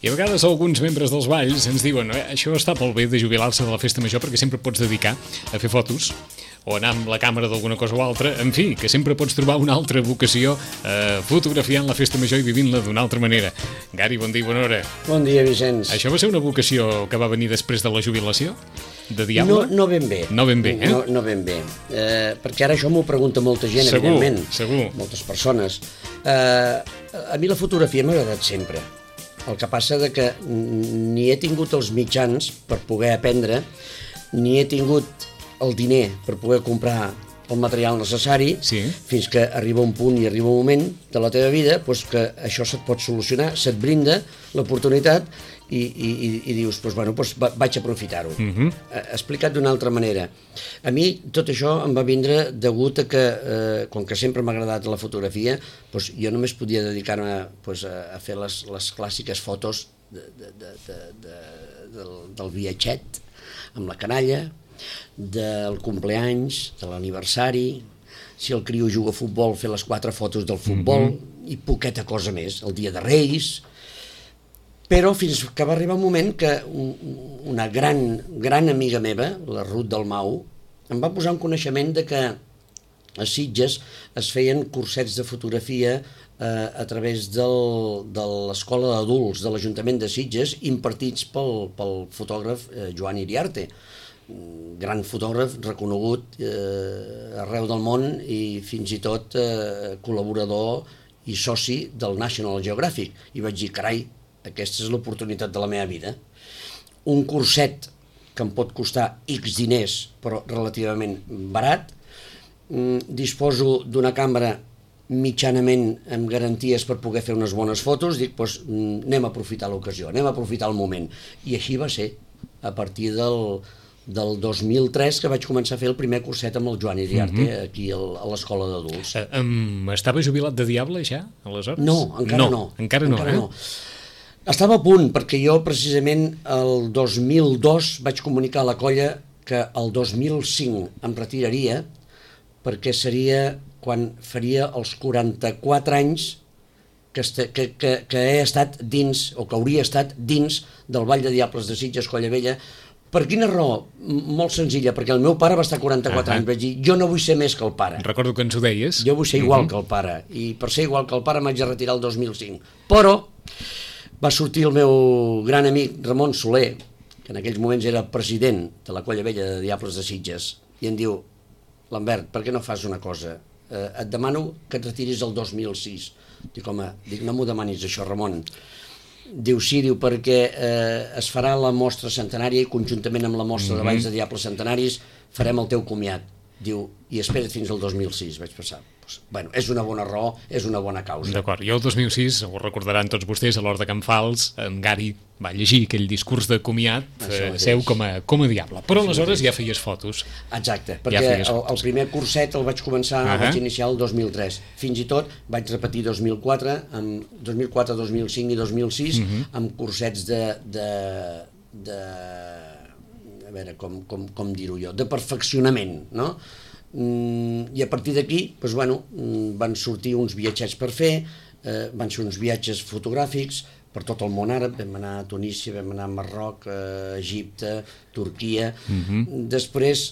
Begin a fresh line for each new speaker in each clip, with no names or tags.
I a vegades alguns membres dels balls ens diuen això està molt bé de jubilar-se de la festa major perquè sempre pots dedicar a fer fotos o anar amb la càmera d'alguna cosa o altra, en fi, que sempre pots trobar una altra vocació fotografiant la festa major i vivint-la d'una altra manera. Gary, bon dia i bona hora.
Bon dia, Vicenç.
Això va ser una vocació que va venir després de la jubilació? De diable?
No ben bé.
No ben bé, eh?
No ben bé. Perquè ara això m'ho pregunta molta gent, evidentment.
Segur.
Moltes persones. A mi la fotografia m'ha agradat sempre. El que passa és que ni he tingut els mitjans per poder aprendre, ni he tingut el diner per poder comprar el material necessari, fins que arriba un punt i arriba un moment de la teva vida que això se't pot solucionar, se't brinda l'oportunitat i dius, vaig aprofitar-ho. Explicat d'una altra manera. A mi tot això em va vindre degut a que, com que sempre m'ha agradat la fotografia, jo només podia dedicar-me a fer les clàssiques fotos del viatget amb la canalla, del compleanys, de l'aniversari, si el criu juga a futbol, fer les 4 fotos del futbol i poqueta cosa més, el dia de Reis. Però fins que va arribar un moment que una gran amiga meva, la Ruth Dalmau, em va posar en coneixement de que a Sitges es feien cursets de fotografia a través de l'Escola d'Adults de l'Ajuntament de Sitges, impartits pel fotògraf Joan Iriarte, gran fotògraf reconegut arreu del món i fins i tot col·laborador i soci del National Geographic. I vaig dir, carai, aquesta és l'oportunitat de la meva vida. Un curset que em pot costar X diners, però relativament barat. Disposo d'una càmera mitjanament amb garanties per poder fer unes bones fotos. Dic, anem a aprofitar l'ocasió, anem a aprofitar el moment. I així va ser, a partir del 2003, que vaig començar a fer el primer curset amb el Joan Iriarte, aquí a l'Escola d'Adults.
Estava jubilat de diable ja, aleshores?
No, encara no.
Encara no.
Estava a punt, perquè jo precisament el 2002 vaig comunicar a la colla que el 2005 em retiraria, perquè seria quan faria els 44 anys que he estat dins, o que hauria estat dins del Ball de Diables de Sitges, Colla Vella. Per quina raó? Molt senzilla, perquè el meu pare va estar 44 anys. Vaig dir, jo no vull ser més que el pare.
Recordo que ens ho deies.
Jo vull ser igual que el pare, i per ser igual que el pare m'haig de retirar el 2005. Però va sortir el meu gran amic Ramon Soler, que en aquells moments era president de la Colla Vella de Diables de Sitges, i em diu, Lambert, per què no fas una cosa? Et demano que et retiris el 2006. Dic, home, no m'ho demanis això, Ramon. Diu, sí, perquè es farà la mostra centenària i conjuntament amb la mostra de Balls de Diables centenaris farem el teu comiat. Diu, i espera't fins al 2006, vaig pensar. Bueno, és una bona raó, és una bona causa.
D'acord, i el 2006, ho recordaran tots vostès, a l'hora de Can Fals, en Gary va llegir aquell discurs de comiat seu com a diable. Però aleshores ja feies fotos.
Exacte, perquè el primer curset el vaig començar, el vaig iniciar el 2003. Fins i tot vaig repetir 2004, 2005 i 2006, amb cursets a veure, com dir-ho jo, de perfeccionament, no? I a partir d'aquí, van sortir uns viatgets per fer, van ser uns viatges fotogràfics per tot el món àrab, vam anar a Tunísia, vam anar a Marroc, a Egipte, Turquia. Després,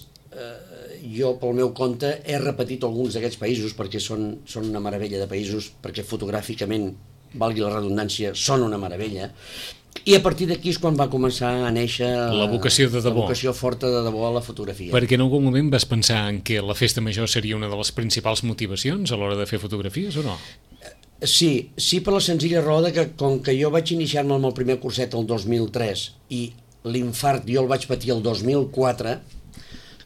jo pel meu compte he repetit alguns d'aquests països perquè són una meravella de països, perquè fotogràficament, valgui la redundància, són una meravella. I a partir d'aquí és quan va començar a néixer
la vocació de debò.
La vocació forta de debò a la fotografia.
Perquè en algun moment vas pensar en que la festa major seria una de les principals motivacions a l'hora de fer fotografies o no?
Sí per la senzilla raó que com que jo vaig iniciar-me amb el primer curset el 2003 i l'infart jo el vaig patir el 2004,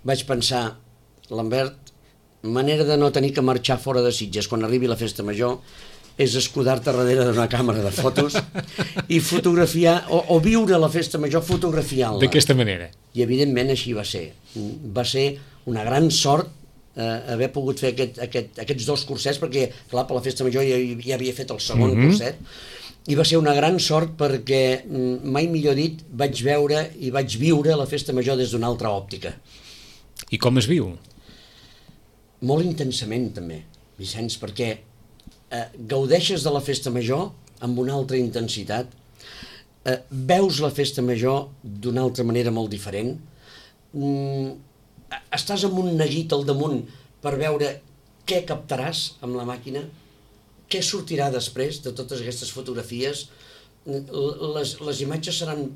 vaig pensar, Lambert, manera de no tenir que marxar fora de Sitges quan arribi la festa major és escudar-te darrere d'una càmera de fotos i fotografiar, o viure la festa major fotografiant-la.
D'aquesta manera.
I evidentment així va ser. Va ser una gran sort haver pogut fer aquests dos cursets, perquè clar, per la festa major ja havia fet el segon curset, i va ser una gran sort perquè, mai millor dit, vaig veure i vaig viure la festa major des d'una altra òptica.
I com es viu?
Molt intensament, també, Vicenç, perquè gaudeixes de la festa major amb una altra intensitat, veus la festa major d'una altra manera molt diferent, estàs amb un neguit al damunt per veure què captaràs amb la màquina, què sortirà després de totes aquestes fotografies. Les imatges seran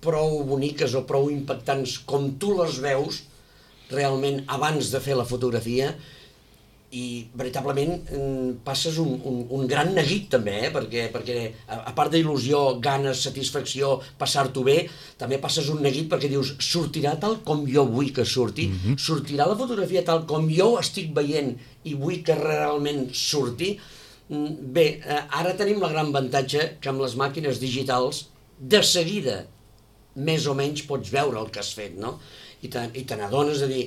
prou boniques o prou impactants com tu les veus realment abans de fer la fotografia, i veritablement passes un gran neguit també, perquè a part d'il·lusió, ganes, satisfacció, passar-t'ho bé, també passes un neguit perquè dius, sortirà tal com jo vull que surti, sortirà la fotografia tal com jo ho estic veient i vull que realment surti. Bé, ara tenim la gran avantatge que amb les màquines digitals de seguida més o menys pots veure el que has fet, no? I te n'adones de dir,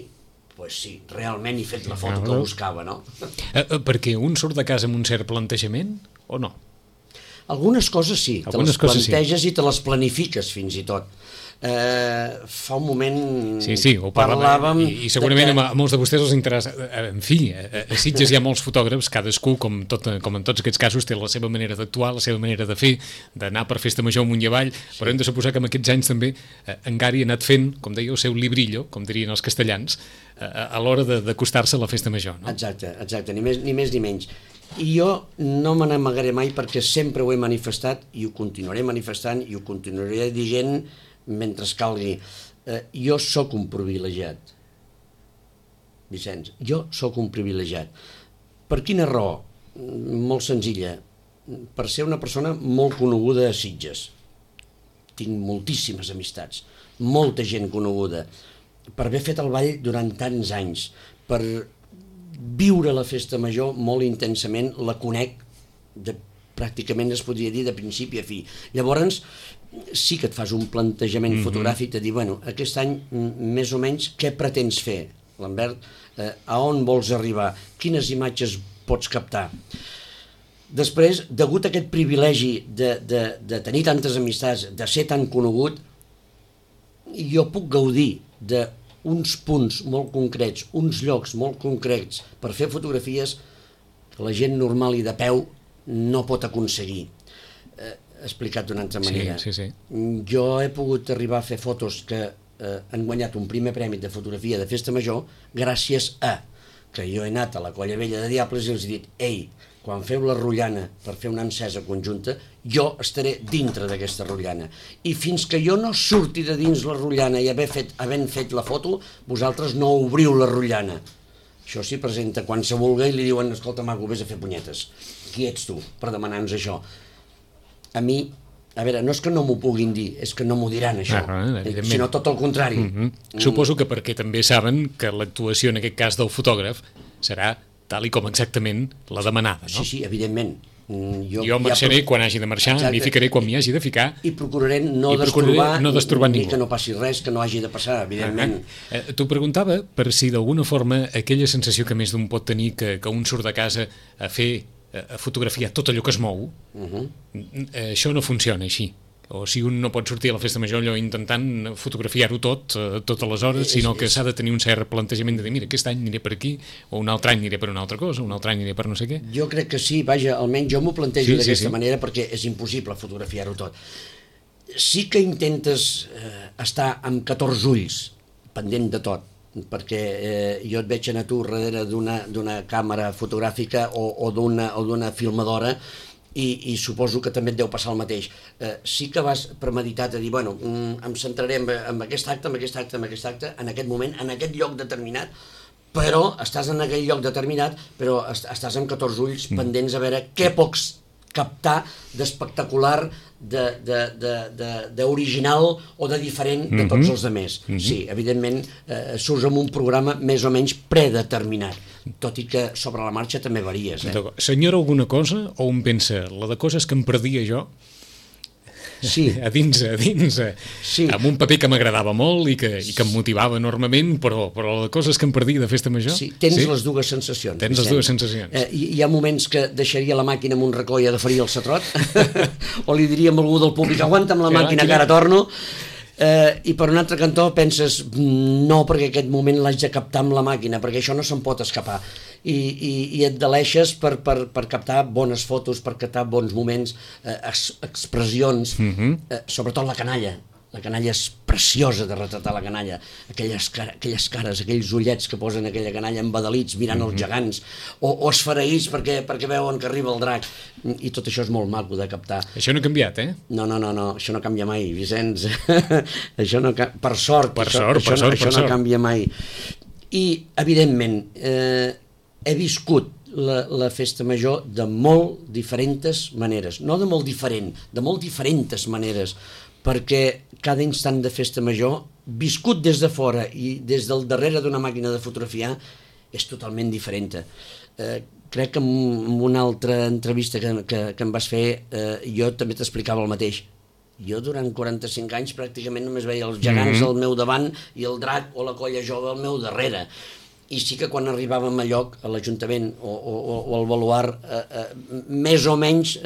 pues sí, realment he fet la foto que buscava, no?
Perquè un surt de casa amb un cert plantejament o no?
Algunes coses sí, te les planteges i te les planifiques fins i tot. Fa un moment
ho parlàvem i segurament a molts de vostès els interessa. En fi, a Sitges hi ha molts fotògrafs, cadascú, com en tots aquests casos, té la seva manera d'actuar, la seva manera de fer, d'anar per festa major amunt i avall, però hem de suposar que en aquests anys també en Gari ha anat fent, com deia, el seu librillo, com dirien els castellans, a l'hora d'acostar-se a la festa major, no?
Exacte, ni més ni menys. I jo no me n'amagaré mai perquè sempre ho he manifestat i ho continuaré manifestant i ho continuaré dient mentre calgui. Jo sóc un privilegiat, Vicenç, jo sóc un privilegiat. Per quina raó? Molt senzilla. Per ser una persona molt coneguda a Sitges. Tinc moltíssimes amistats, molta gent coneguda. Per haver fet el ball durant tants anys, per viure la festa major molt intensament, la conec pràcticament, es podria dir, de principi a fi. Llavors, sí que et fas un plantejament fotogràfic de dir, bueno, aquest any més o menys què pretens fer, Lambert? A on vols arribar? Quines imatges pots captar? Després, degut a aquest privilegi de tenir tantes amistats, de ser tan conegut, jo puc gaudir d'uns punts molt concrets, uns llocs molt concrets per fer fotografies que la gent normal i de peu no pot aconseguir. Explicat d'una altra manera.
Sí.
Jo he pogut arribar a fer fotos que han guanyat un primer premi de fotografia de festa major gràcies a que jo he anat a la Colla Vella de Diables i els he dit, ei, quan feu la rotllana per fer una encesa conjunta, jo estaré dintre d'aquesta rotllana. I fins que jo no surti de dins la rotllana i havent fet la foto, vosaltres no obriu la rotllana. Això s'hi presenta quan se vulga i li diuen, escolta, maco, vés a fer punyetes. Qui ets tu per demanar-nos això? A mi, a veure, no és que no m'ho puguin dir, és que no m'ho diran, això, sinó tot el contrari.
Suposo que perquè també saben que l'actuació, en aquest cas del fotògraf, serà tal i com exactament la demanada, no?
Sí, evidentment.
Jo marxaré quan hagi de marxar, m'hi ficaré quan m'hi hagi de ficar.
I procuraré no destorbar ningú. Que no passi res, que no hagi de passar, evidentment.
T'ho preguntava per si d'alguna forma aquella sensació que més d'un pot tenir que un surt de casa a fotografiar tot allò que es mou, això no funciona així. O si un no pot sortir a la festa major allò intentant fotografiar-ho totes les hores, sinó que s'ha de tenir un cert plantejament de dir, mira, aquest any aniré per aquí, o un altre any aniré per una altra cosa, un altre any aniré per no sé què.
Jo crec que sí, vaja, almenys jo m'ho plantejo d'aquesta manera perquè és impossible fotografiar-ho tot. Sí que intentes estar amb 14 ulls, pendent de tot, perquè jo et veig anar tu darrere d'una càmera fotogràfica o d'una filmadora i suposo que també et deu passar el mateix. Sí que vas premeditat a dir, bueno, em centraré en aquest acte, en aquest moment, en aquest lloc determinat, però estàs en aquell lloc determinat, però estàs amb 14 ulls pendents a veure què pots captar d'espectacular, d'original o de diferent de tots els altres. Sí, evidentment, surts amb un programa més o menys predeterminat, tot i que sobre la marxa també varies.
Senyora alguna cosa o un pensa, la de coses que em perdia jo,
sí.
a dins, sí. Amb un paper que m'agradava molt i que em motivava enormement, però de coses que em perdia de festa major.
Sí, tens les dues sensacions.
Tens les dues sensacions.
Hi ha moments que deixaria la màquina amb un racó i agafaria el satrot, o li diria a algú del públic, aguanta'm la màquina que ara torno. I per un altre cantó penses no, perquè aquest moment l'haig de captar amb la màquina, perquè això no se'n pot escapar, i et deleixes per captar bones fotos, per captar bons moments, expressions, sobretot la canalla. La canalla és preciosa de retratar, la canalla, aquelles cares, aquells ullets que posen aquella canalla embadalits mirant els gegants, o esfereïts perquè veuen que arriba el drac, i tot això és molt maco de captar.
Això no ha canviat, eh?
No, això no canvia mai, Vicenç. Això no per sort, això no canvia mai. I, evidentment, he viscut la festa major de molt diferents maneres, no de molt diferent, de molt diferents maneres, perquè cada instant de festa major, viscut des de fora i des del darrere d'una màquina de fotografiar, és totalment diferent. Crec que en una altra entrevista que em vas fer, jo també t'explicava el mateix. Jo durant 45 anys pràcticament només veia els gegants al meu davant i el drac o la colla jove al meu darrere. I sí que quan arribàvem a lloc, a l'Ajuntament o al baluard, més o menys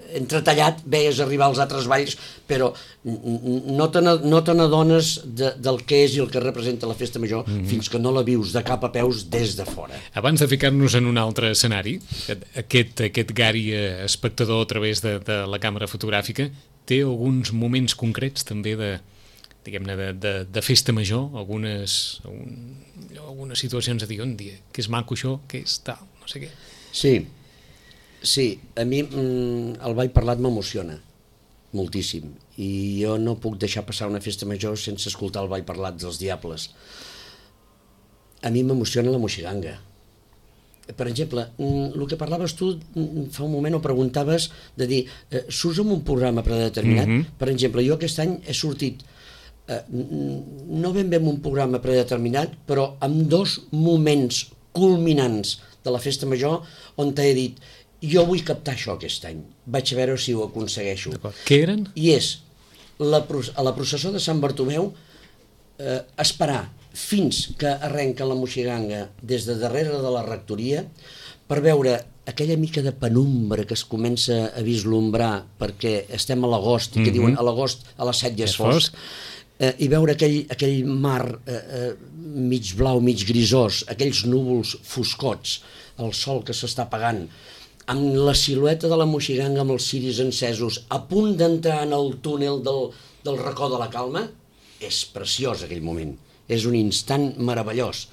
entretallat veies arribar als altres balls, però no te n'adones del que és i el que representa la festa major fins que no la vius de cap a peus des de fora.
Abans de ficar-nos en un altre escenari, aquest Gary espectador a través de la càmera fotogràfica té alguns moments concrets també de festa major, algunes situacions a dir, que és maco això, que és tal, no sé què.
Sí, a mi el ball parlat m'emociona moltíssim i jo no puc deixar passar una festa major sense escoltar el ball parlat dels Diables. A mi m'emociona la moixiganga. Per exemple, el que parlaves tu fa un moment o preguntaves de dir, surts en un programa predeterminat? Per exemple, jo aquest any he sortit no ben bé en un programa predeterminat, però amb 2 moments culminants de la festa major on t'he dit jo vull captar això aquest any, vaig a veure si ho aconsegueixo.
Què eren?
I és a la processó de Sant Bartomeu esperar fins que arrenca la moixiganga des de darrere de la rectoria per veure aquella mica de penumbra que es comença a vislumbrar perquè estem a l'agost i que diuen a l'agost a les 7 ja és fosc, i veure aquell mar mig blau, mig grisós, aquells núvols foscots, el sol que s'està apagant, amb la silueta de la moixiganga amb els ciris encesos, a punt d'entrar en el túnel del racó de la Calma, és preciós aquell moment, és un instant meravellós.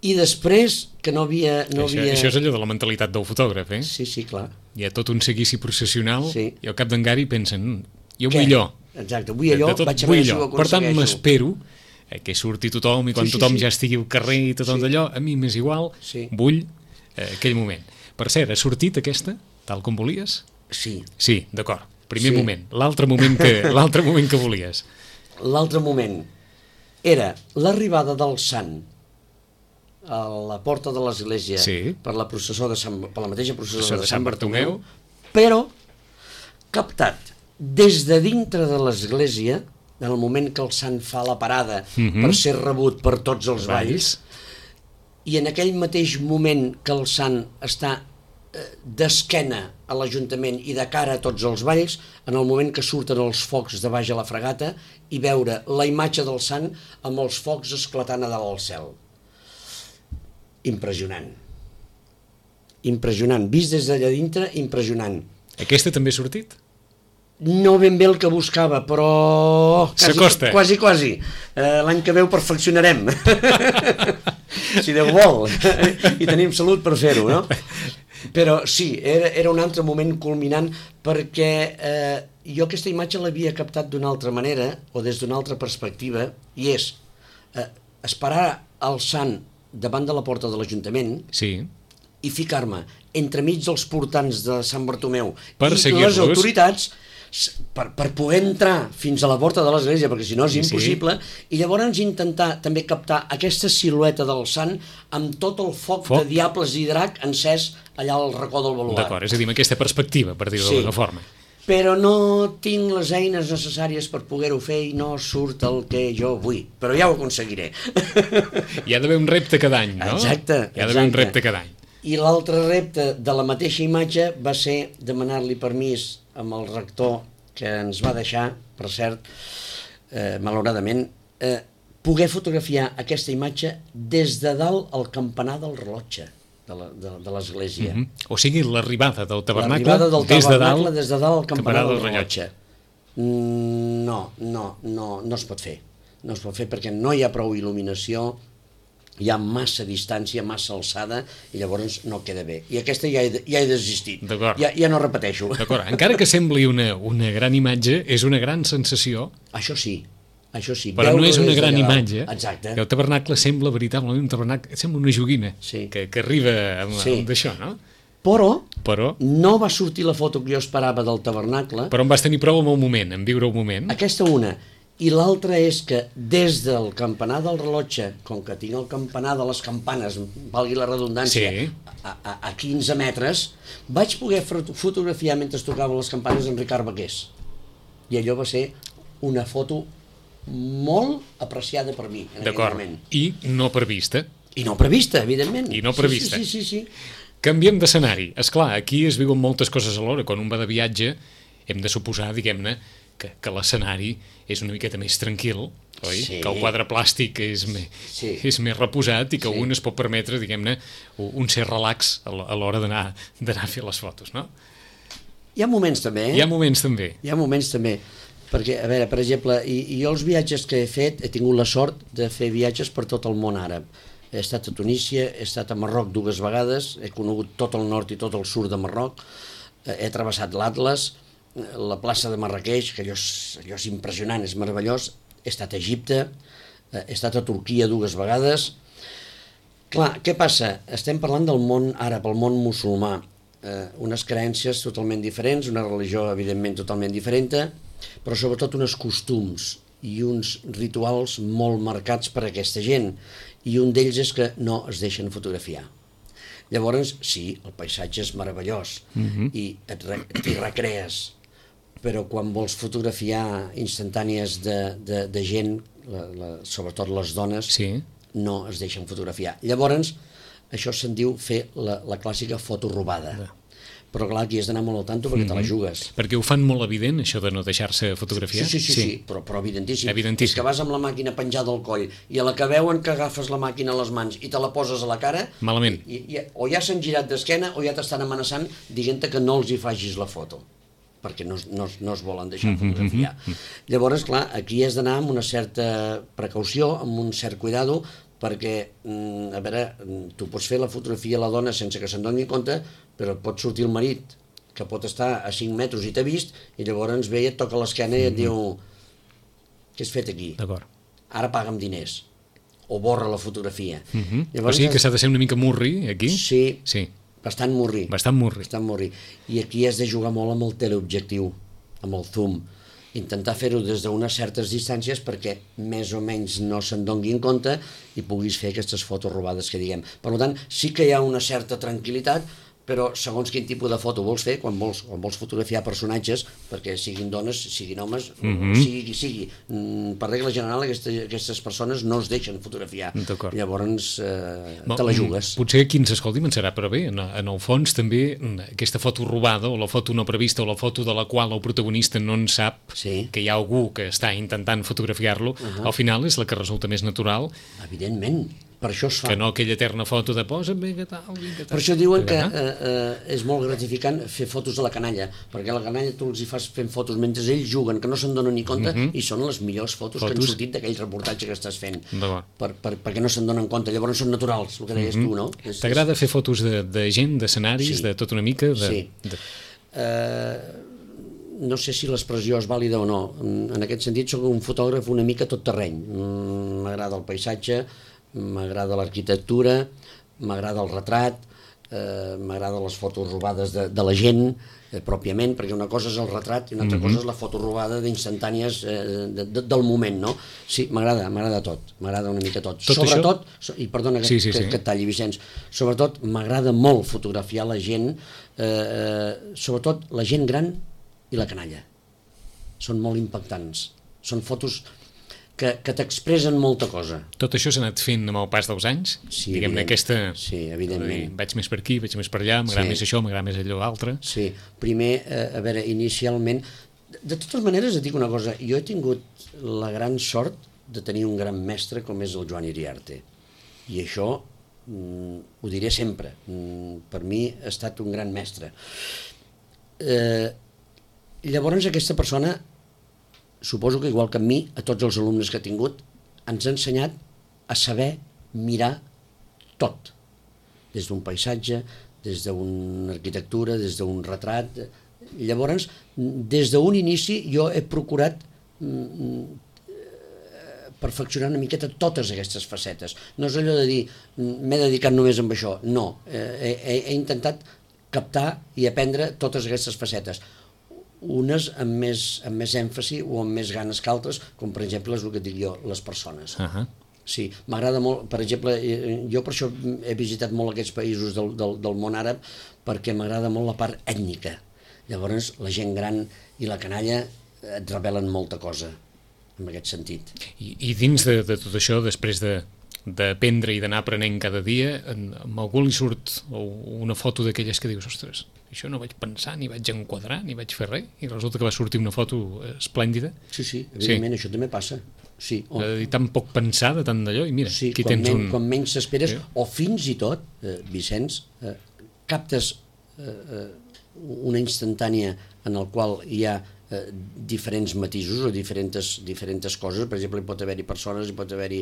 I després, que no havia...
Això és allò de la mentalitat del fotògraf, eh?
Sí, clar.
Hi ha tot un seguici processional i al cap d'en Gary pensen, jo vull allò.
Exacte, vull allò, vaig a veure si ho aconsegueixo.
Per tant, m'espero que surti tothom i quan tothom ja estigui al carrer i tothom d'allò, a mi m'és igual, vull aquell moment. Per cert, ha sortit aquesta, tal com volies?
Sí.
Sí, d'acord. Primer moment. L'altre moment que volies.
L'altre moment era l'arribada del sant a la porta de l'església per la mateixa processó de Sant Bartomeu, però captat des de dintre de l'església, en el moment que el sant fa la parada per ser rebut per tots els balls, i en aquell mateix moment que el sant està d'esquena a l'Ajuntament i de cara a tots els balls, en el moment que surten els focs de baix a la fregata i veure la imatge del sant amb els focs esclatant a dalt al cel. Impressionant. Impressionant. Vist des d'allà dintre, impressionant.
Aquesta també ha sortit?
No ben bé el que buscava, però...
S'acosta.
Quasi. L'any que ve ho perfeccionarem. Si Déu vol. I tenim salut per fer-ho, no? Però sí, era un altre moment culminant perquè jo aquesta imatge l'havia captat d'una altra manera o des d'una altra perspectiva i és esperar el sant davant de la porta de l'Ajuntament i ficar-me entremig dels portants de Sant Bartomeu i les autoritats per poder entrar fins a la porta de l'església, perquè si no és impossible, i llavors intentar també captar aquesta silueta del sant amb tot el foc de diables i drac encès allà al racó del baluard.
D'acord, és a dir, amb aquesta perspectiva, per dir-ho d'alguna forma.
Però no tinc les eines necessàries per poder-ho fer i no surt el que jo vull, però ja ho aconseguiré.
Hi ha d'haver un repte cada any, no?
Exacte.
Hi ha d'haver un repte cada any.
I l'altre repte de la mateixa imatge va ser demanar-li permís amb el rector que ens va deixar, per cert, malauradament, poder fotografiar aquesta imatge des de dalt al campanar del rellotge de l'església.
O sigui, l'arribada del tabernacle,
des de dalt al campanar del rellotge. No es pot fer. No es pot fer perquè no hi ha prou il·luminació, hi ha massa distància, massa alçada, i llavors no queda bé. I aquesta ja he desistit. Ja no repeteixo.
D'acord. Encara que sembli una gran imatge, és una gran sensació.
Això sí.
Però no és una gran imatge.
Exacte.
El tabernacle sembla veritablement un tabernacle, sembla una joguina que arriba amb d'això, no?
Però no va sortir la foto que jo esperava del tabernacle.
Però en vas tenir prou amb el moment, en viure el moment.
Aquesta una. I l'altra és que des del campanar del rellotge, com que tinc el campanar de les campanes, valgui la redundància, a 15 metres, vaig poder fotografiar mentre tocaven les campanes en Ricard Baqués. I allò va ser una foto molt apreciada per mi en aquell moment.
I no prevista.
I no prevista, evidentment.
I no prevista.
Sí.
Canviem d'escenari. Esclar, aquí es viuen moltes coses alhora. Quan un va de viatge, hem de suposar, diguem-ne, que l'escenari és una miqueta més tranquil, oi? Sí. Que el quadre plàstic és més reposat i que un es pot permetre, diguem-ne, un cert relax a l'hora d'anar a fer les fotos, no?
Hi ha moments també,
Hi ha moments també.
Perquè, a veure, per exemple, jo els viatges que he fet, he tingut la sort de fer viatges per tot el món àrab. He estat a Tunísia, he estat a Marroc 2 vegades, he conegut tot el nord i tot el sud de Marroc, he travessat l'Atles, la plaça de Marrakeix, que allò és impressionant, és meravellós. He estat a Egipte, he estat a Turquia 2 vegades. Clar, què passa? Estem parlant del món àrab, el món musulmà, unes creences totalment diferents, una religió evidentment totalment diferent, però sobretot uns costums i uns rituals molt marcats per aquesta gent, i un d'ells és que no es deixen fotografiar. Llavors, sí, el paisatge és meravellós i t'hi recrees, però quan vols fotografiar instantànies de gent, sobretot les dones, no es deixen fotografiar. Llavors, això se'n diu fer la clàssica foto robada. Però clar, aquí has d'anar molt al tanto perquè te la jugues.
Perquè ho fan molt evident, això de no deixar-se fotografiar?
Sí, però evidentíssim. És que vas amb la màquina penjada al coll i a la que veuen que agafes la màquina a les mans i te la poses a la cara,
malament.
O ja s'han girat d'esquena o ja t'estan amenaçant dient-te que no els hi facis la foto, perquè no es volen deixar fotografiar. Llavors, clar, aquí has d'anar amb una certa precaució, amb un cert cuidado, perquè, a veure, tu pots fer la fotografia a la dona sense que se'n doni compte, però et pot sortir el marit, que pot estar a 5 metres i t'ha vist, i llavors ve i et toca l'esquena i et diu: què has fet aquí? Ara paga'm diners. O borra la fotografia.
O sigui que s'ha de ser una mica murri, aquí?
Sí. Bastant murri. I aquí has de jugar molt amb el teleobjectiu, amb el zoom. Intentar fer-ho des d'unes certes distàncies perquè més o menys no se'n donguin compte i puguis fer aquestes fotos robades que diguem. Per tant, sí que hi ha una certa tranquil·litat, però segons quin tipus de foto vols fer, quan vols fotografiar personatges, perquè siguin dones, siguin homes, sigui qui sigui. Per regla general, aquestes persones no es deixen fotografiar. Llavors, te la jugues.
Potser qui ens escolti en serà, però bé, en el fons també aquesta foto robada, o la foto no prevista, o la foto de la qual el protagonista no en sap que hi ha algú que està intentant fotografiar-lo, al final és la que resulta més natural.
Evidentment. Per això es fa.
Que no aquella eterna foto de posa'm bé que tal.
Per això diuen que és molt gratificant fer fotos a la canalla, perquè a la canalla tu els hi fas fent fotos mentre ells juguen, que no se'n donen ni compte, i són les millors fotos que han sortit d'aquell reportatge que estàs fent, perquè no se'n donen compte, llavors són naturals, el que deies tu, no?
T'agrada fer fotos de gent, d'escenaris, de tot una mica?
Sí. No sé si l'expressió és vàlida o no. En aquest sentit, soc un fotògraf una mica tot terreny. M'agrada el paisatge, m'agrada l'arquitectura, m'agrada el retrat, m'agrada les fotos robades de la gent, pròpiament, perquè una cosa és el retrat i una altra cosa és la foto robada d'instantànies del moment, no? Sí, m'agrada tot, m'agrada una mica tot. Sobretot, i perdona que et talli, Vicenç, sobretot m'agrada molt fotografiar la gent, sobretot la gent gran i la canalla. Són molt impactants. Són fotos que t'expressen molta cosa.
Tot això s'ha anat fent amb el pas dels anys?
Sí,
diguem-ne aquesta...
Sí, evidentment.
Vaig més per aquí, vaig més per allà, m'agrada més això, m'agrada més allò altre.
Sí, primer, a veure, inicialment De totes maneres, et dic una cosa, jo he tingut la gran sort de tenir un gran mestre com és el Joan Iriarte. I això ho diré sempre. Per mi ha estat un gran mestre. Llavors aquesta persona, suposo que igual que a mi, a tots els alumnes que ha tingut, ens ha ensenyat a saber mirar tot. Des d'un paisatge, des d'una arquitectura, des d'un retrat. Llavors, des d'un inici jo he procurat perfeccionar una miqueta totes aquestes facetes. No és allò de dir, m'he dedicat només amb això. No, he intentat captar i aprendre totes aquestes facetes. Unes amb més èmfasi o amb més ganes que altres, com per exemple és el que dic jo, les persones. Sí, m'agrada molt, per exemple, jo per això he visitat molt aquests països del món àrab, perquè m'agrada molt la part ètnica. Llavors la gent gran i la canalla et revelen molta cosa en aquest sentit.
I dins de tot això, després d'aprendre i d'anar aprenent cada dia, amb algú li surt una foto d'aquelles que dius, ostres, això no vaig pensar, ni vaig enquadrar, ni vaig fer res, i resulta que va sortir una foto esplèndida.
Sí, evidentment, això també passa. Sí,
tan poc pensada, tant d'allò, i mira,
sí,
aquí tens un...
quan menys s'esperes, o fins i tot, Vicenç, captes una instantània en el qual hi ha diferents matisos o diferents coses. Per exemple, hi pot haver-hi persones, hi pot haver-hi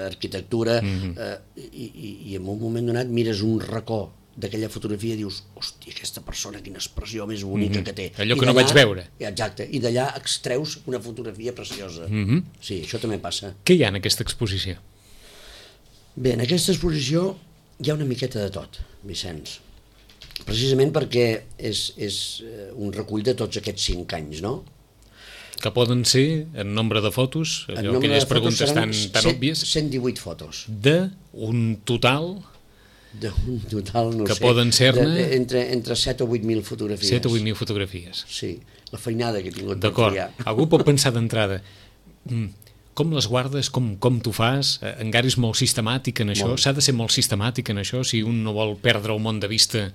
arquitectura, i en un moment donat mires un racó d'aquella fotografia i dius, hòstia, aquesta persona, quina expressió més bonica que té.
Allò que no vaig veure.
Exacte, i d'allà extreus una fotografia preciosa. Sí, això també passa.
Què hi ha en aquesta exposició?
Bé, en aquesta exposició hi ha una miqueta de tot, Vicenç. Precisament perquè és un recull de tots aquests 5 anys, no?
Que poden ser, en nombre de fotos, aquelles preguntes tan òbvies...
118 fotos.
D'un total...
D'un total, no sé...
Que poden ser-ne...
Entre 7 o 8.000 fotografies.
7 o 8.000 fotografies.
Sí, la feinada que he tingut
per triar. D'acord. Algú pot pensar d'entrada, com les guardes, com t'ho fas? En Gary és molt sistemàtic en això, s'ha de ser molt sistemàtic en això, si un no vol perdre el món de vista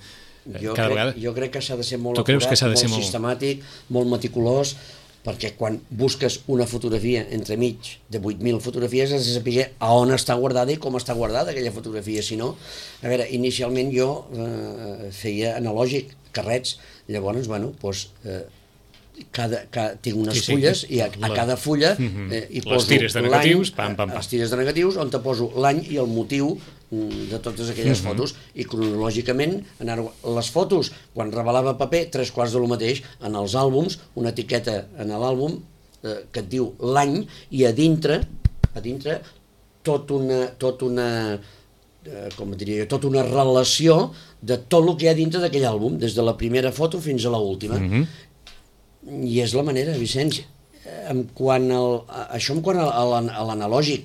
cada vegada?
Jo crec que s'ha de ser molt acurat, molt sistemàtic, molt meticulós, perquè quan busques una fotografia entremig de 8.000 fotografies has de saber a on està guardada i com està guardada aquella fotografia. Si no, a veure, inicialment jo feia analògic, carrets, llavors, bueno, doncs... tinc unes fulles i a cada fulla hi poso
les tires de negatius,
les tires de negatius on te poso l'any i el motiu de totes aquelles fotos, i cronològicament les fotos, quan revelava paper 3/4 de lo mateix, en els àlbums una etiqueta en l'àlbum que et diu l'any, i a dintre tota una relació de tot el que hi ha dintre d'aquell àlbum, des de la primera foto fins a l'última. I és la manera, Vicenç. Això en quant a l'analògic.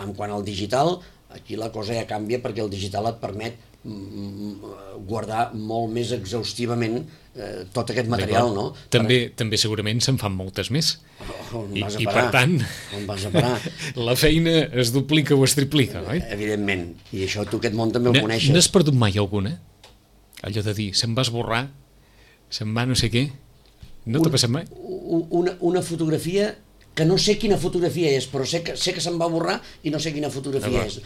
En quant al digital, aquí la cosa ja canvia, perquè el digital et permet guardar molt més exhaustivament tot aquest material, no?
També segurament se'n fan moltes més. I per tant,
on vas a parar?
La feina es duplica o es triplica, oi?
Evidentment. I això tu aquest món també ho coneixes.
N'has perdut mai alguna? Allò de dir, se'm va esborrar, se'm va no sé què... No t'ha passat mai?
Una fotografia que no sé quina fotografia és, però sé que se'm va borrar i no sé quina fotografia és.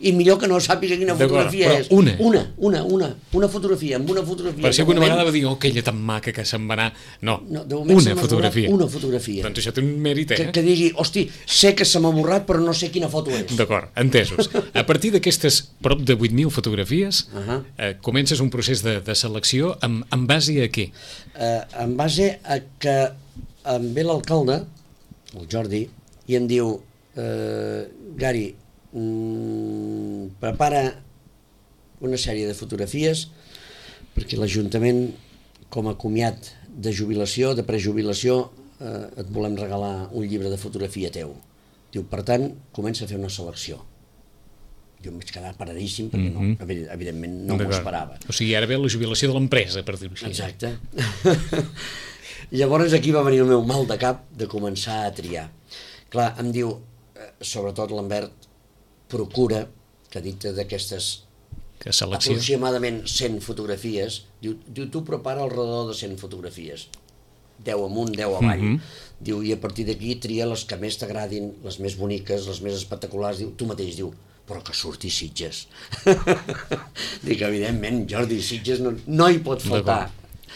I millor que no sàpiga quina fotografia és.
Una
fotografia, amb una fotografia.
Per si alguna vegada va dir, oh, aquella tan maca que se'n va anar... No, una fotografia.
Una fotografia.
Doncs això té un mèrit,
Que digui, hosti, sé que se m'ha borrat, però no sé quina foto és.
D'acord, entesos. A partir d'aquestes prop de 8.000 fotografies, comences un procés de selecció en base a què?
En base a que em ve l'alcalde, el Jordi, i em diu, Gary, prepara una sèrie de fotografies perquè l'Ajuntament, com a comiat de jubilació, de prejubilació, et volem regalar un llibre de fotografia teu. Diu, per tant, comença a fer una selecció. Jo em vaig quedar paradíssim perquè evidentment no m'ho esperava.
O sigui, ara ve la jubilació de l'empresa, per dir-ho així.
Exacte. Llavors aquí va venir el meu mal de cap de començar a triar. Clar, em diu, sobretot l'Ambert, procura que dintre d'aquestes aproximadament 100 fotografies, diu, tu prepara alrededor de 100 fotografies. 10 amunt, 10 avall. Diu, i a partir d'aquí tria les que més t'agradin, les més boniques, les més espectaculars. Diu, tu mateix, diu, però que surti Sitges. Dic, evidentment, Jordi, Sitges no hi pot faltar.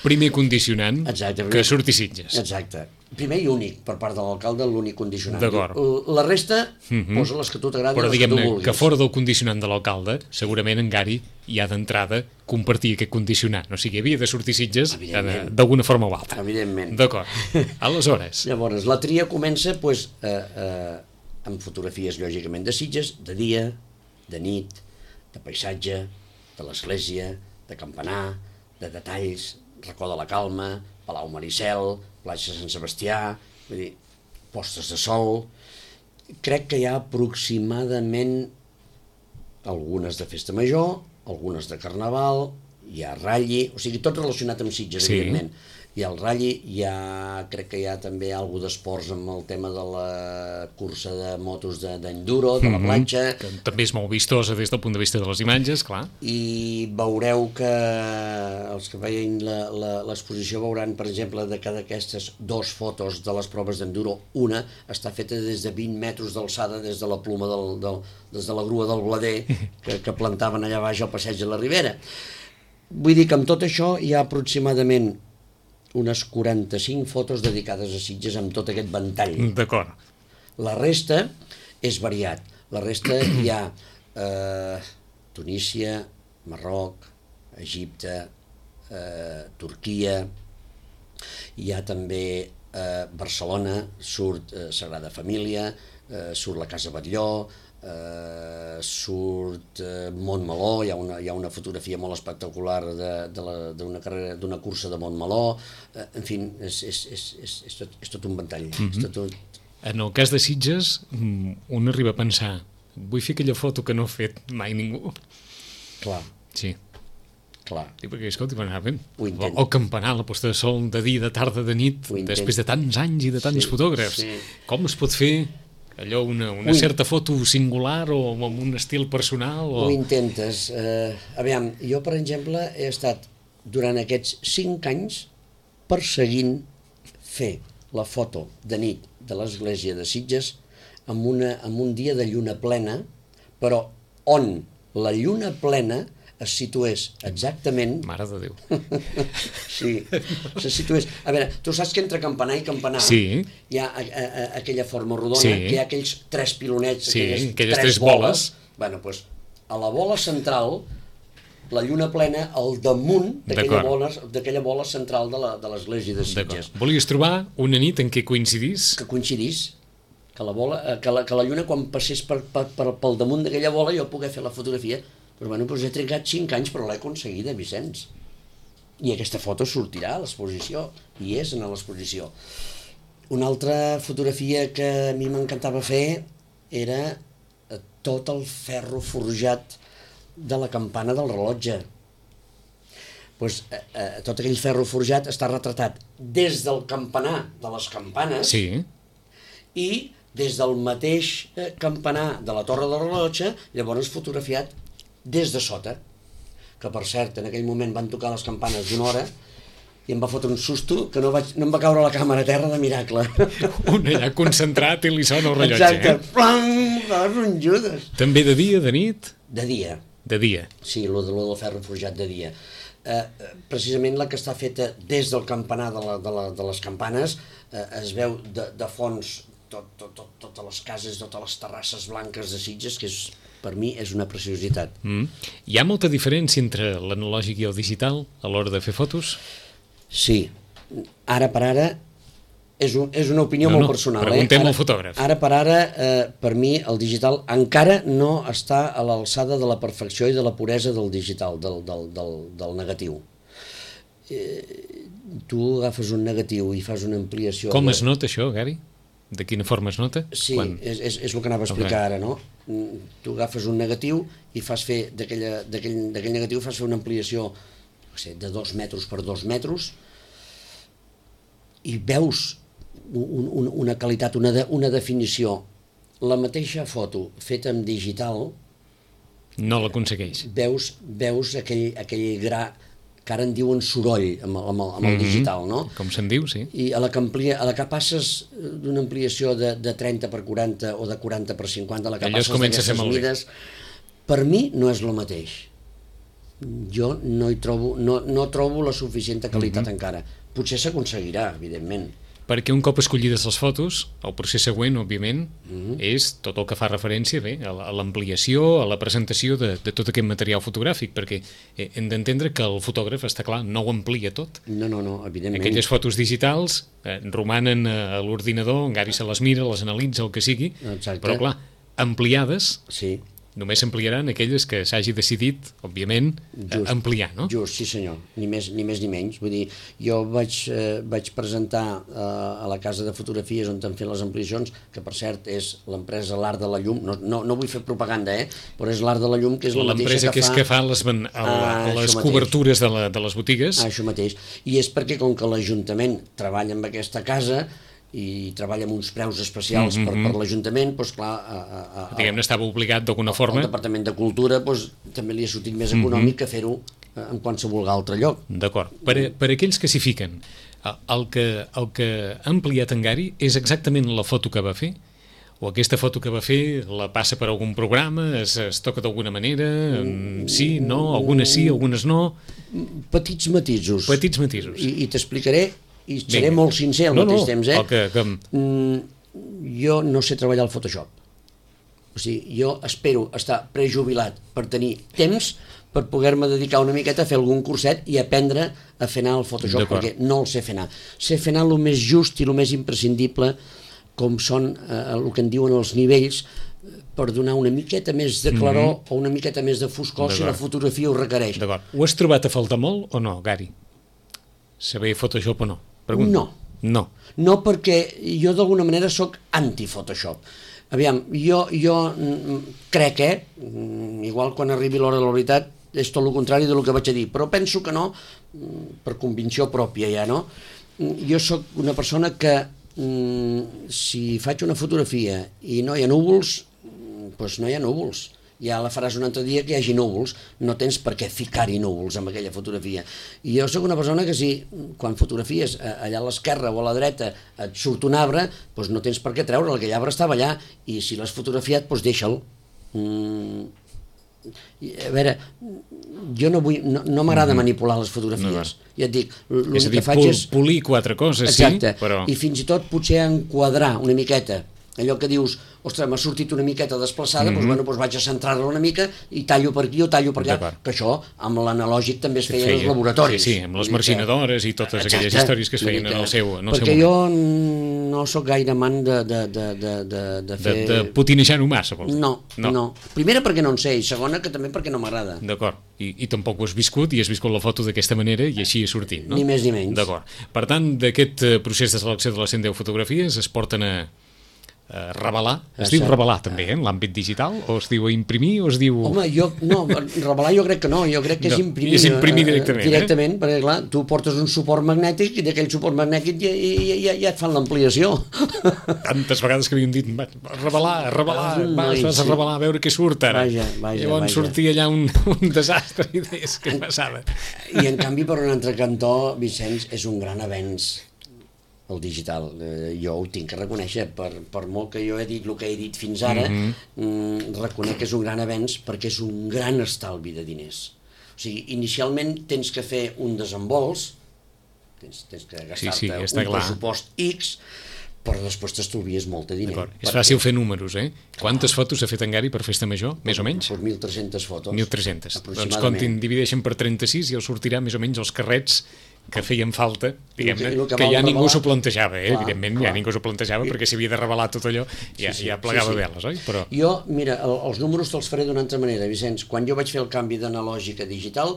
Primer condicionant,
Exacte,
que surti Sitges.
Exacte. Primer i únic, per part de l'alcalde, l'únic condicionant.
D'acord.
La resta, posa les que tu t'agradin,
Però
les que tu
diguem-ne
vulguis.
que fora del condicionant de l'alcalde, segurament en Gari ja d'entrada compartia aquest condicionant. O sigui, havia de sortir Sitges
Evidentment.
d'alguna forma o altra.
Evidentment.
D'acord. Aleshores,
Llavors, la tria comença amb fotografies, lògicament, de Sitges, de dia, de nit, de paisatge, de l'església, de campanar, de detalls, Racó de la Calma, Palau Maricel, platja Sant Sebastià, vull dir, postes de sol. Crec que hi ha aproximadament algunes de Festa Major, algunes de Carnaval, hi ha Ralli, o sigui, tot relacionat amb Sitges,
Sí.
evidentment. Hi ha el Ralli, crec que hi ha també alguna d'esports amb el tema de la cursa de motos d'enduro, de la platja,
que també és molt vistosa des del punt de vista de les imatges, clar.
i veureu que els que veien l'exposició veuran, per exemple, de cada d'aquestes 2 fotos de les proves d'enduro, una està feta des de 20 metres d'alçada des de la ploma des de la grua del blader que plantaven allà baix al passeig de la Ribera. Vull dir que amb tot això hi ha aproximadament unes 45 fotos dedicades a Sitges amb tot aquest ventall.
D'acord.
La resta és variat. La resta hi ha Tunísia, Marroc, Egipte, Turquia, hi ha també Barcelona, surt Sagrada Família, surt la Casa Batlló, surt Montmeló, hi ha una fotografia molt espectacular d'una cursa de Montmeló, en fi, és tot un ventall.
En el cas de Sitges, un arriba a pensar, vull fer aquella foto que no ha fet mai ningú.
Clar,
Sí.
clar.
Sí, perquè, escolti, va anar bé.
Ho intent.
El campanar, la posta de sol, de dia, de tarda, de nit,
Ho intent.
després de tants anys i de tants
Sí,
fotògrafs.
sí.
Com es pot fer allò, una certa foto singular o amb un estil personal?
Ho intentes. Aviam, jo, per exemple, he estat durant aquests 5 anys perseguint fer la foto de nit de l'església de Sitges amb un dia de lluna plena, però on la lluna plena es situés exactament...
Mare de Déu.
Sí, se situés... A veure, tu saps que entre campanar i campanar
Sí.
hi ha aquella forma rodona,
Sí.
que hi ha aquells 3 pilonets,
Sí, aquelles
tres
tres boles.
Bueno, doncs, a la bola central, la lluna plena al damunt
D'acord.
d'aquella bola central de l'església de
D'acord.
Sitges.
Volies trobar una nit en què coincidís?
Que coincidís, que la lluna quan passés pel damunt d'aquella bola jo pogués fer la fotografia. Però bueno, doncs he trigat 5 anys, però l'he aconseguida, Vicenç. I aquesta foto sortirà a l'exposició, i és en l'exposició. Una altra fotografia que a mi m'encantava fer era tot el ferro forjat de la campana del rellotge. Pues, tot aquell ferro forjat està retratat des del campanar de les campanes
Sí.
i des del mateix campanar de la torre del rellotge, llavors fotografiat des de sota, que per cert en aquell moment van tocar les campanes d'una hora i em va fotre un susto que no em va caure la càmera a terra de miracle.
Un allà concentrat i li sona el rellotge.
Exacte, plam, un Judes.
També de dia, de nit?
De dia,
De dia.
sí, lo del ferro forjat de dia. Precisament la que està feta des del campanar de les campanes, es veu de fons totes les cases, totes les terrasses blanques de Sitges, que per mi és una preciositat.
Hi ha molta diferència entre l'analògic i el digital a l'hora de fer fotos?
Sí, ara per ara és una opinió molt personal.
Preguntem al fotògraf.
Ara per ara, per mi, el digital encara no està a l'alçada de la perfecció i de la puresa del digital, del negatiu. Tu agafes un negatiu i fas una ampliació...
Com es nota això, Gary? De quina forma es nota?
Sí, és el que anava a explicar ara, no? Tu agafes un negatiu i fas fer d'aquell negatiu fas fer una ampliació de 2 metres per 2 metres i veus una qualitat, una definició. La mateixa foto feta en digital
no l'aconsegueix.
veus aquell gra que ara en diuen soroll amb el digital, no?
Com se'n diu, sí.
I a la que passes d'una ampliació de 30 per 40 o de 40 per 50, a la que passes d'aquestes mides, per mi no és el mateix. Jo no trobo la suficient qualitat encara. Potser s'aconseguirà, evidentment.
Perquè un cop escollides les fotos, el procés següent, òbviament, és tot el que fa referència a l'ampliació, a la presentació de tot aquest material fotogràfic, perquè hem d'entendre que el fotògraf, està clar, no ho amplia tot.
No, evidentment.
Aquelles fotos digitals romanen a l'ordinador, en Gary se les mira, les analitza, el que sigui, però clar, ampliades...
Sí.
Només s'ampliaran aquelles que s'hagi decidit, òbviament, ampliar, no?
Just, sí senyor, ni més ni menys. Vull dir, jo vaig presentar a la casa de fotografies on han fet les ampliacions, que per cert és l'empresa L'Art de la Llum, no vull fer propaganda, però és L'Art de la Llum, que és la mateixa
que fa les cobertures de les botigues.
Això mateix, i és perquè com que l'Ajuntament treballa amb aquesta casa i treballa amb uns preus especials per l'Ajuntament, doncs clar...
Diguem-ne, estava obligat d'alguna forma.
El Departament de Cultura també li ha sortit més econòmic que fer-ho en qualsevol altre lloc.
D'acord. Per aquells que s'hi fiquen, el que ha ampliat en Gary és exactament la foto que va fer? O aquesta foto que va fer la passa per algun programa, es toca d'alguna manera, sí, no, algunes sí, algunes no...
Petits matisos.
Petits matisos.
I t'explicaré, i seré molt sincer al mateix temps, jo no sé treballar al Photoshop. O sigui, jo espero estar prejubilat per tenir temps per poder-me dedicar una miqueta a fer algun curset i aprendre a fer anar el Photoshop, perquè no el sé fer anar. Sé fer anar el més just i el més imprescindible, com són el que en diuen els nivells, per donar una miqueta més de claror o una miqueta més de foscor si la fotografia ho requereix.
D'acord. Ho has trobat a faltar molt o no, Gary? Saber Photoshop o no?
No. No, perquè jo d'alguna manera sóc anti-Photoshop. Aviam, jo crec, igual quan arribi l'hora de la veritat, és tot el contrari del que vaig a dir, però penso que no, per convicció pròpia ja, no? Jo sóc una persona que si faig una fotografia i no hi ha núvols, doncs no hi ha núvols. Ja la faràs un altre dia que hi hagi núvols, no tens per què ficar-hi núvols amb aquella fotografia. I jo sóc una persona que si quan fotografies allà a l'esquerra o a la dreta et surt un arbre, doncs no tens per què treure'l, aquell arbre estava allà, i si l'has fotografiat, doncs deixa'l. A veure, jo no m'agrada manipular les fotografies. Ja et dic,
és a dir, polir quatre coses, sí,
però... I fins i tot potser enquadrar una miqueta allò que dius, ostres, m'ha sortit una miqueta desplaçada, doncs vaig a centrar-la una mica i tallo per aquí o tallo per allà, que això amb l'analògic també es feia en els laboratoris.
Sí, amb les marginadores i totes aquelles històries que es feien en el seu moment.
Perquè jo no sóc gaire amant de fer...
De potinejar-ho massa, vols dir?
No. Primera perquè no en sé, i segona que també perquè no m'agrada.
D'acord. I tampoc ho has viscut i has viscut la foto d'aquesta manera i així ha sortit, no?
Ni més ni menys.
D'acord. Per tant, d'aquest procés de selecció de les 110 fotografies es porten a revelar, es diu revelar també, en l'àmbit digital, o es diu imprimir, o es diu...
Home, revelar jo crec que no, jo crec que és imprimir.
És imprimir directament.
Directament, perquè clar, tu portes un suport magnètic i d'aquell suport magnètic ja et fan l'ampliació.
Tantes vegades que havien dit, revelar, vas a revelar, a veure què surt ara. Llavors sortia allà un desastre d'idees que passava.
I en canvi, per un altre cantó, Vicenç, és un gran avenç el digital. Jo ho tinc que reconèixer, per molt que jo he dit el que he dit fins ara, reconec que és un gran avenç perquè és un gran estalvi de diners. O sigui, inicialment tens que fer un desembols, tens que gastar-te un pressupost X, però després t'estalvies molt de diner.
És fàcil fer números, eh? Quantes fotos ha fet en Gary per Festa Major, més o menys?
Per 1.300 fotos.
1.300. Doncs comptin, divideixen per 36 i els sortirà més o menys els carrets que feien falta, diguem-ne, que ja ningú s'ho plantejava, evidentment, ja ningú s'ho plantejava, perquè s'havia de revelar tot allò, ja plegava veles, oi?
Jo, mira, els números te'ls faré d'una altra manera, Vicenç. Quan jo vaig fer el canvi d'analògic a digital,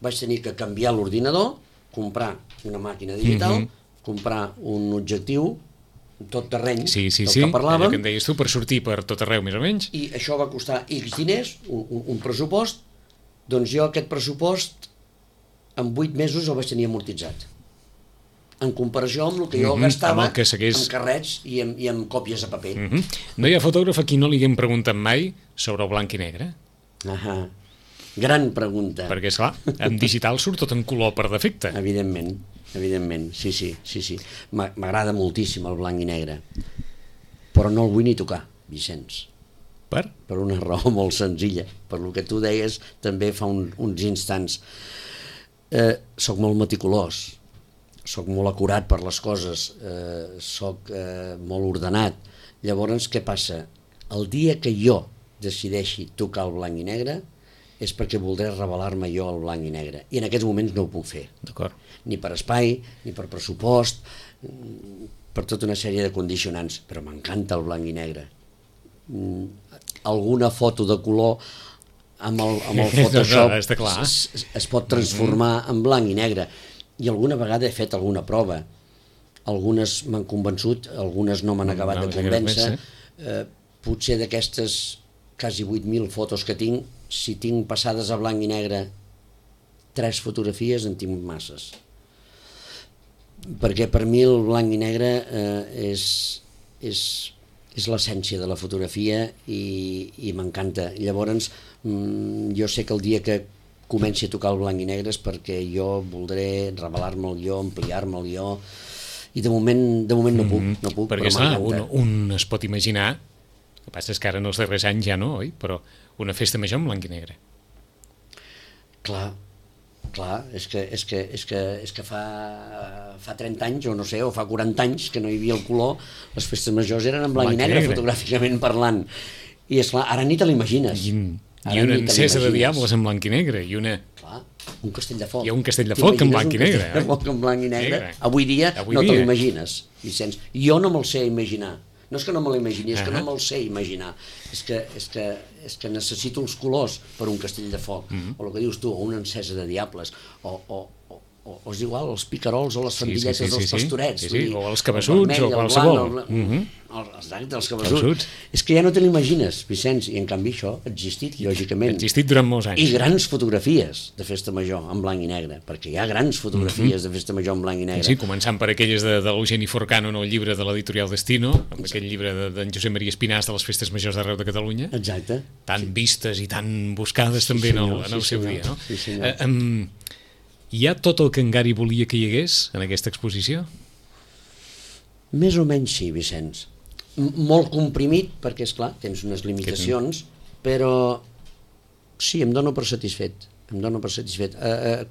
vaig tenir que canviar l'ordinador, comprar una màquina digital, comprar un objectiu, tot terreny, que parlàvem.
Allò que en deies tu, per sortir per tot arreu, més o menys.
I això va costar X diners, un pressupost, doncs jo aquest pressupost en 8 mesos el vaig tenir amortitzat. En comparació amb el que jo gastava en carrets i en còpies de paper.
No hi ha fotògraf a qui no li haguem preguntat mai sobre el blanc i negre?
Gran pregunta.
Perquè, esclar, en digital surt tot en color per defecte.
Evidentment, sí. M'agrada moltíssim el blanc i negre, però no el vull ni tocar, Vicenç.
Per?
Per una raó molt senzilla, per lo que tu deies també fa uns instants. Soc molt meticulós, soc molt acurat per les coses, soc molt ordenat. Llavors, què passa? El dia que jo decideixi tocar el blanc i negre és perquè voldré revelar-me jo al blanc i negre, i en aquests moments no ho puc fer.
D'acord.
Ni per espai, ni per pressupost, per tota una sèrie de condicionants, però m'encanta el blanc i negre. Alguna foto de color amb el Photoshop es pot transformar en blanc i negre, i alguna vegada he fet alguna prova, algunes m'han convençut, algunes no m'han acabat de convèncer. Potser d'aquestes quasi 8.000 fotos que tinc, si tinc passades a blanc i negre 3 fotografies en tinc masses, perquè per mi el blanc i negre és l'essència de la fotografia i m'encanta. Llavors jo sé que el dia que comenci a tocar el blanc i negre és perquè jo voldré revelar-me'l jo, ampliar-me'l jo, i de moment no puc,
perquè
però
m'encanta. Un es pot imaginar, el que passa és que ara en els darrers anys ja no, oi? Però una festa major en blanc i negre.
Clar, és que fa 30 anys, o no sé, o fa 40 anys que no hi havia el color, les festes majors eren en blanc i negre, fotogràficament parlant. I esclar, ara ni te l'imagines.
I una encesa de diables en blanc i negre, i una...
Clar, un castell de foc.
Hi ha un castell de foc en blanc i negre.
Un castell de foc en blanc i negre. Avui dia no te l'imagines, Vicenç. Jo no me'l sé imaginar. No és que no me l'imagini, és que no me'l sé imaginar. És que necessito els colors per un castell de foc, o el que dius tu, o una encesa de diables, o és igual, els picarols o les fandilletes dels pastorets.
O els cabassuts, o qualsevol.
Exacte, els cabassuts. És que ja no te l'imagines, Vicenç, i en canvi això ha existit, lògicament.
Ha existit durant molts anys.
I grans fotografies de festa major en blanc i negre, perquè hi ha grans fotografies de festa major en blanc i negre.
Sí, començant per aquelles de l'Eugeni Forcano en el llibre de l'editorial Destino, amb aquell llibre d'en Josep Maria Espinàs de les festes majors d'arreu de Catalunya.
Exacte.
Tan vistes i tan buscades també en el seu dia, no?
Sí, senyor.
Hi ha tot el que en Gary volia que hi hagués en aquesta exposició?
Més o menys sí, Vicenç. Molt comprimit, perquè, esclar, tens unes limitacions, però sí, em dono per satisfet.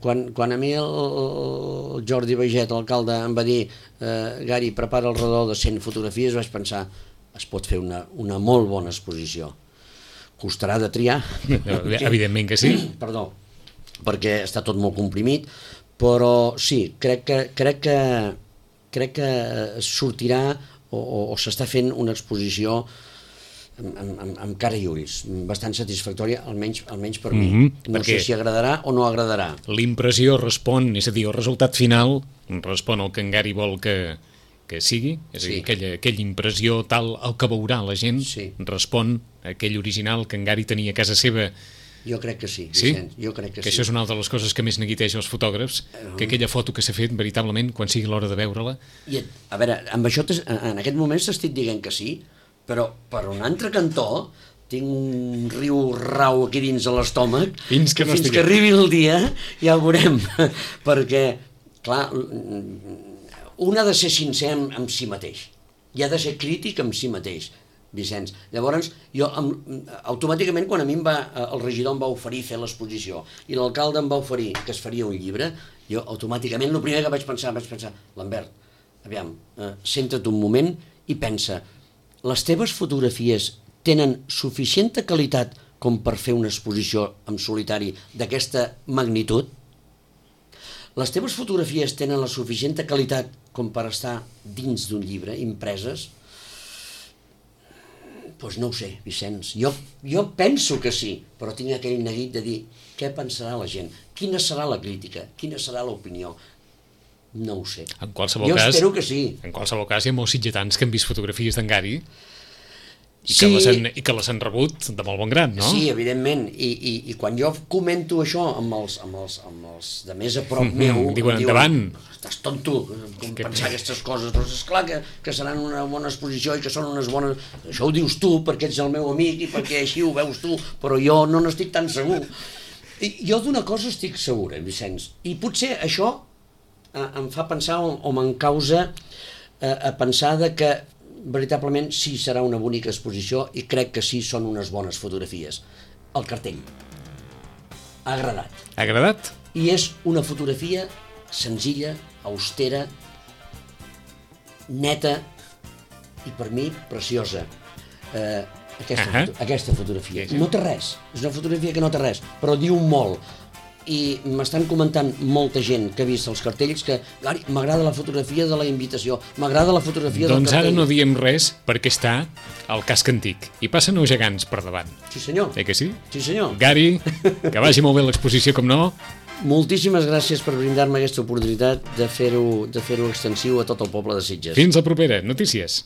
Quan a mi el Jordi Baiget, l'alcalde, em va dir Gary, prepara el redó de 100 fotografies, vaig pensar, es pot fer una molt bona exposició. Costarà de triar.
Evidentment que sí.
Perdó, perquè està tot molt comprimit, però sí, crec que sortirà o s'està fent una exposició amb cara i ulls, bastant satisfactòria, almenys per mi. No sé si agradarà o no agradarà.
L'impressió respon, és a dir, el resultat final respon al que en Gary vol que sigui, és a dir, aquella impressió tal, el que veurà la gent respon a aquell original que en Gary tenia a casa seva.
Jo crec que sí, Vicenç, jo crec que sí.
Això és una altra de les coses que més neguiteja els fotògrafs, que aquella foto que s'ha fet, veritablement, quan sigui l'hora de veure-la...
A veure, amb això en aquest moment t'estic dient que sí, però per un altre cantó tinc un riu rau aquí dins de l'estómac, fins que arribi el dia ja ho veurem, perquè, clar, un ha de ser sincer amb si mateix, i ha de ser crític amb si mateix, Vicenç. Llavors, jo automàticament, quan a mi el regidor em va oferir fer l'exposició i l'alcalde em va oferir que es faria un llibre, jo automàticament el primer que vaig pensar, Lambert, aviam, centra't un moment i pensa, les teves fotografies tenen suficient qualitat com per fer una exposició en solitari d'aquesta magnitud? Les teves fotografies tenen la suficient qualitat com per estar dins d'un llibre, impreses? Doncs no ho sé, Vicenç. Jo penso que sí, però tinc aquell neguit de dir què pensarà la gent, quina serà la crítica, quina serà l'opinió. No ho sé. Jo espero que sí.
En qualsevol cas, hi ha molts sitgetans que han vist fotografies d'en Gary i que les han rebut de molt bon grat, no?
Sí, evidentment. I quan jo comento això amb els de més a prop meu,
diuen, endavant.
Estàs tonto, com pensar aquestes coses, però és clar que seran una bona exposició i que són unes bones... Això ho dius tu perquè ets el meu amic i perquè així ho veus tu, però jo no n'estic tan segur. Jo d'una cosa estic segura, Vicenç, i potser això em fa pensar o me'n causa a pensar de que veritablement sí serà una bonica exposició i crec que sí són unes bones fotografies. El cartell ha agradat.
Ha agradat?
I és una fotografia senzilla, austera, neta i per mi preciosa. Aquesta fotografia. No té res, és una fotografia que no té res, però diu molt. I m'estan comentant molta gent que ha vist els cartells que m'agrada la fotografia de la invitació, m'agrada la fotografia del cartell.
Doncs ara no diem res perquè està al casc antic i passen els gegants per davant.
Sí senyor.
Que sí?
Sí senyor.
Gary, que vagi molt bé l'exposició, com no.
Moltíssimes gràcies per brindar-me aquesta oportunitat de fer-ho extensiu a tot el poble de Sitges.
Fins la propera. Notícies.